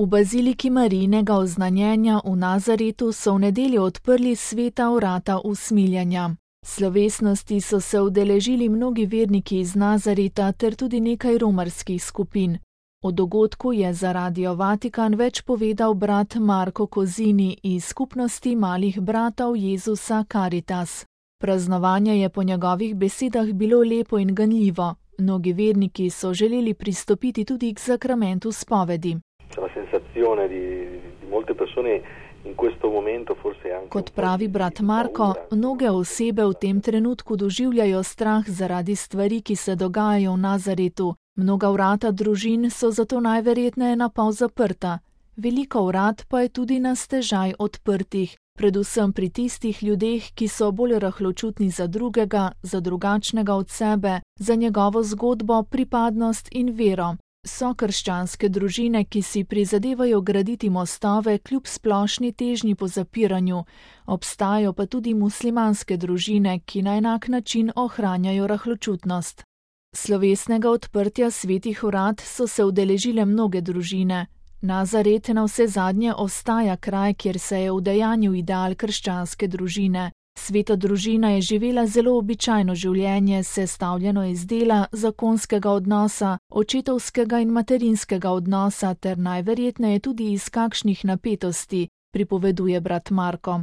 V baziliki Marijinega oznanjenja v Nazaretu so v nedeljo odprli sveta vrata usmiljenja. Slovesnosti so se udeležili mnogi verniki iz Nazareta ter tudi nekaj romarskih skupin. O dogodku je za Radio Vatikan več povedal brat Marko Kozini iz skupnosti malih bratov Jezusa Caritas. Praznovanje je po njegovih besedah bilo lepo in ganljivo. Mnogi verniki so želeli pristopiti tudi k sakramentu spovedi. Kot pravi brat Marko, mnoge osebe v tem trenutku doživljajo strah zaradi stvari, ki se dogajajo v Nazaretu. Mnoga vrata družin so zato najverjetneje napol zaprta. Veliko vrat pa je tudi na stežaj odprtih, predvsem pri tistih ljudeh, ki so bolj rahločutni za drugega, za drugačnega od sebe, za njegovo zgodbo, pripadnost in vero. So krščanske družine, ki si prizadevajo graditi mostove kljub splošni težnji po zapiranju. Obstajajo pa tudi muslimanske družine, ki na enak način ohranjajo rahločutnost. Slovesnega odprtja svetih vrat so se udeležile mnoge družine. Nazaret navsezadnje ostaja kraj, kjer se je udejanjil ideal krščanske družine. Sveta družina je živela zelo običajno življenje, sestavljeno iz dela, zakonskega odnosa, očetovskega in materinskega odnosa ter najverjetneje tudi iz kakšnih napetosti, pripoveduje brat Marko.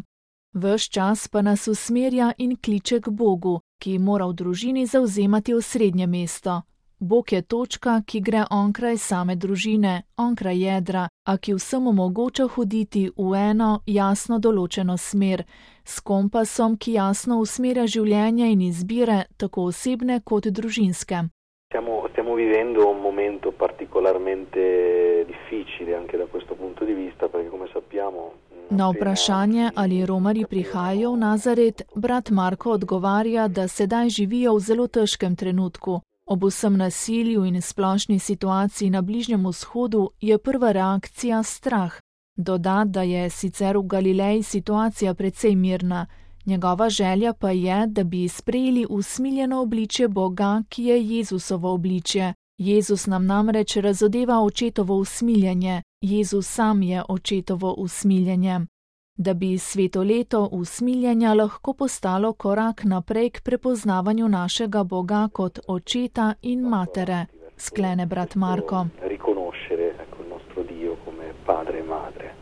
Ves čas pa nas usmerja in kliče k Bogu, ki mora v družini zavzemati osrednje mesto. Bog je točka, ki gre onkraj same družine, onkraj jedra, a ki vsem omogoča hoditi v eno jasno določeno smer, s kompasom, ki jasno usmerja življenje in izbire, tako osebne kot družinske. Stiamo vivendo un momento particolarmente difficile anche da questo punto di vista, perché come sappiamo. Na vprašanje, ali romarji prihajajo v Nazaret, brat Marko odgovarja, da sedaj živijo v zelo težkem trenutku. Ob vsem nasilju in splošni situaciji na Bližnjem vzhodu je prva reakcija strah. Doda, da je sicer v Galileji situacija precej mirna. Njegova želja pa je, da bi sprejeli usmiljeno obličje Boga, ki je Jezusovo obličje. Jezus nam namreč razodeva očetovo usmiljenje. Jezus sam je očetovo usmiljenje. Da bi sveto leto usmiljenja lahko postalo korak naprej k prepoznavanju našega Boga kot očeta in matere, sklene brat Marko.